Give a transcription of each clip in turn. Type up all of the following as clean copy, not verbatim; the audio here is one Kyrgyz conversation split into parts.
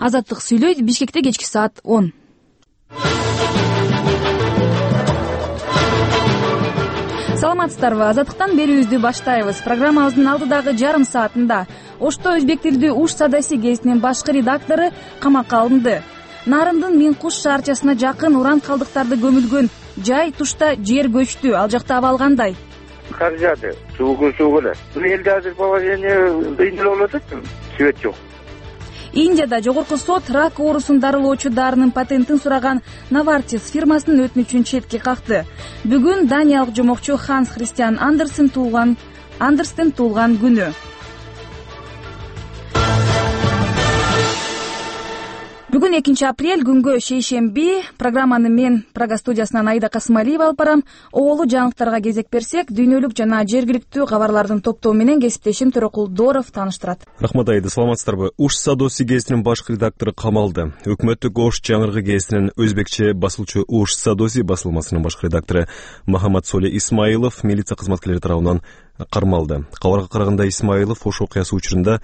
Азаттык сүйлөйт. Бишкекте кечки саат 10. Саламатсыздарбы? Азаттыктан берүүбүздү баштайбыз. Программабыздын алдыдагы жарым саатында Ошто өзбек тилдүү Уш Садоси гезитинин башкы редактору камакка алынды. Нарындын Мин Куш шаарчасына жакын уран калдыктарды көмүлгөн жай тушта жер көчтү. Ал жакта абал кандай? Кар жаады, суу эле. Бул элде азыр положение кыйын болуп атат. Свет жок. Индияда жогорку сот рак оорусун дарылоочу дарынын патентин сураган Навартис фирмасынын өтүнүчүн четке какты. Бүгүн даниялык жомокчу Ханс Христиан Андерстен туулган күнү. Бүгүн 2 апрель күнгө шейшемби. Программаны мен Прага студиясынан Аида Касымалиева алып барам. Оолу жаңылыктарга кезек берсек, дүйнөлүк жана жергиликтүү кабарлардын топтоо менен кесиптешим Төрөкулдоров тааныштырат. Рахмат Аида, саламатсыздарбы? Уш Садоси гезитинин башкы редактору камалды. Өкмөттүк Ош жаңырыгы гезитинин өзбекче басылчу Уш Садоси басылмасынын башкы редактору Махамат Соли Исмаилов милиция кызматкерлери тарабынан кармалды. Кабарга караганда Исмаилов ош окуясы учурунда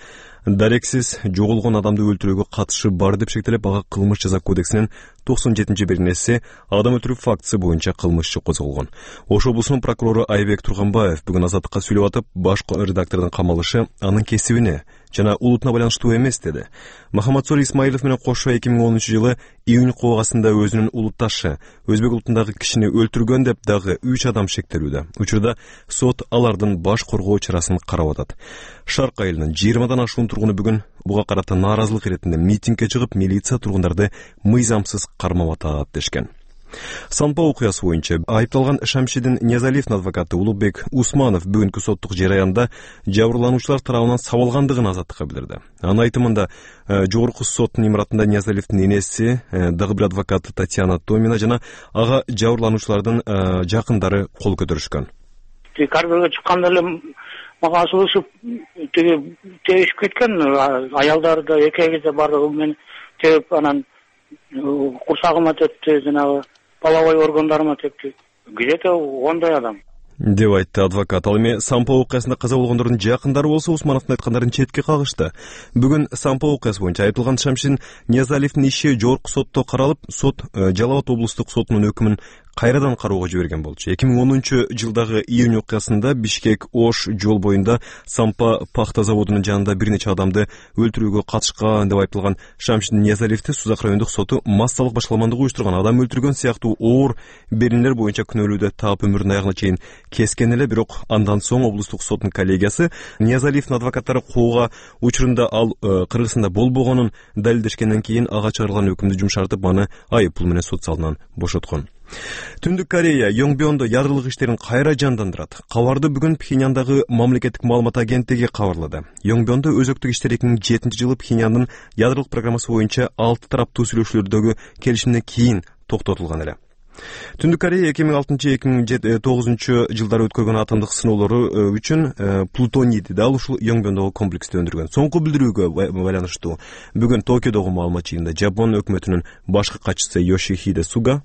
дарексиз жоголгон адамды өлтүрүүгө катышы бар деп шектелип, ага кылмыш жаза кодексинин 97-беренеси адам өлтүрүү фактысы боюнча кылмыш иши козголгон. Ош облусунун прокурору Айбек Турганбаев бүгүн Азаттыкка сүйлөп атып, башкы редактордун камалышы анын кесибине жана улутуна байланыштуу эмес деди. Махамат Соли Исмаилов менен кошо 2010-жылы июнь кобагасында өзүнүн улутташы өзбек улутундагы кишини өлтүргөн деп дагы 3 адам шектелүүдө. Учурда сот алардын баш коргоо чарасын карап атат. Шарк айылынын 20дан ашуун тургуну бүгүн буга карата нааразылык иретинде митингге чыгып, милиция тургундарды мыйзамсыз кармап атат дешкен. Санпа окуясы боюнча айыпталган Шамшидин Ниязалиевдин адвокаты Улукбек Усманов бүгүнкү соттук жараянда жабырлануучулар тарабынан сабалгандыгын Азаттыкка билдирди. Анын айтымында жогорку соттун имаратында Ниязалиевдин энеси, дагы бир адвокаты Татьяна Томина жана ага жабырлануучулардын жакындары кол көтөрүшкөн. Карберге чыкканда эле мага асылышып тебишип кеткен, аялдары да экеги бардыгы менен тебип, анан курсагыма тепти, жанагы половой органдарыма тепти. Где-то 10 адам деп айтты адвокат. Ал эми Санпа окуясында каза болгондордун жакындары болсо Усмановдун айткандарын четке кагышты. Бүгүн Санпа окуясы боюнча айыпталган Шамшин Ниязалиевдин иши жогорку сотто каралып, сот Жалал Абад облустук сотунун өкүмүн кайрадан кароого жиберген болчу. 2010-жылдагы июнь окуясында Бишкек-Ош жол боюнда Санпа пахта заводунун жанында бир нече адамды өлтүрүүгө катышкан деп айыпталган Шамшин Ниязалиевди Сузак райондук соту массалык башкаламандык уюштурган, адам өлтүргөн сыяктуу оор берилер боюнча күнөөлүүдө таап өмүрүнүн аягына чейин кескен эле. Бирок андан соң облустук соттун коллегиясы Ниязалиевдин адвокаттары коого учурунда ал Кыргызстанда болбогонун далилдешкенден кийин ага чыгарылган өкүмдү жумшартып, аны айып пул менен сот залынан бошоткон. Түндүк Корея Йонгбёндо ядрылык иштерин кайра жандандырат. Кабарды бүгүн Пхеньяндагы мамлекеттик маалымат агенттиги кабарлады. Йонгбёндо өзөктүк иштер 2007-жылы Пхеньяндын ядрылык программасы боюнча 6 тараптуу сүйлөшүүлөрдөгү келишимден кийин токтотулган эле. Түндүк Корея 2006-2009 жылдары өткөргөн атомдук сыноолору үчүн плутонийди да ушул Йонгбёндогу комплексте өндүргөн. Соңку билдирүүгө байланыштуу бүгүн Токиодогу маалымат жыйынында Жапон өкмөтүнүн башкы катчысы Йошихиде Суга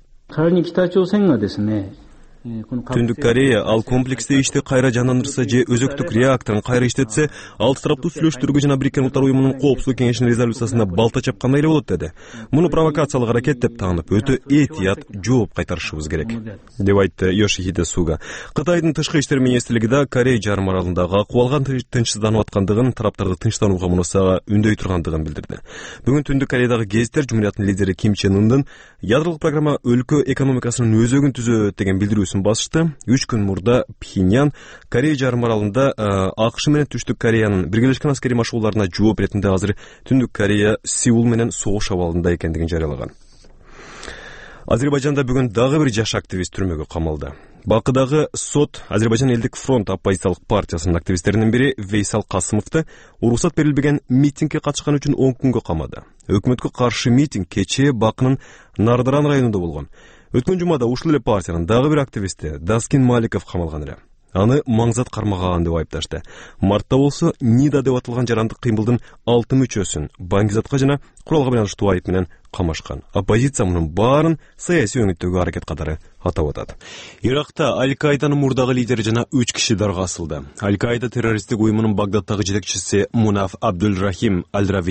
Түндүк Корея ал комплексте ишти кайра жандандырса же өзөктүк реакторун кайра иштетсе, 6 тараптуу сүйлөшүүлөргө жана Бириккен Улуттар уюмунун коопсуздук кеңешинин резолюциясына балта чапкандай эле болот деди. Муну провокациялык аракет деп таанып, өтө этият жооп кайтарышыбыз керек, деп айтты Йошихиде Суга. Кытайдын тышкы иштер министрлиги да Корея жарым аралындагы акыбалга тынчсызданып аткандыгын, тараптарды тынчтанууга мунусага үндөй тургандыгын билдирди. Бүгүн Түндүк Кореядагы гезиттер Жумурияттын лидери Ким Чен Ындын ядрылык программа өлкө экономикасынын өзөгүн түзөт деген билдирүүсүн басышты. 3 күн мурда Пхеньян Корея жарым аралында АКШ менен Түштүк Кореянын биргелешкен аскерий машыгууларына жооп иретинде азыр Түндүк Корея Сеул менен согуш абалында экендигин жарыялаган. Азербайжанда бүгүн дагы бир жаш активист түрмөгө камалды. Бакыдагы сот Азербайжан элдик фронт оппозициялык партиясынын активисттеринин бири Вейсал Касымовду уруксат берилбеген митингге катышкан үчүн 10 күнгө камады. Өкмөткө каршы митинг кечээ Бакынын Нардаран районунда болгон. Өткөн жумада ушул эле партиянын дагы бир активисти Даскин Маликов камалган эле. Аны маңзат кармаган деп айыпташты. Мартта болсо НИДА деп аталган жарандык кыймылдын 6 мүчөсүн баңгизатка жана куралга байланыштуу айып менен камашкан. Оппозиция мунун баарын саясий өңүттөгү аракет катары атап атат. Иракта Аль-Каиданын мурдагы лидери жана 3 киши дарга асылды. Аль-Каида террористтик уюмунун Багдадтагы жетекчиси Мунаф Абдул-Рахим Аль-Рави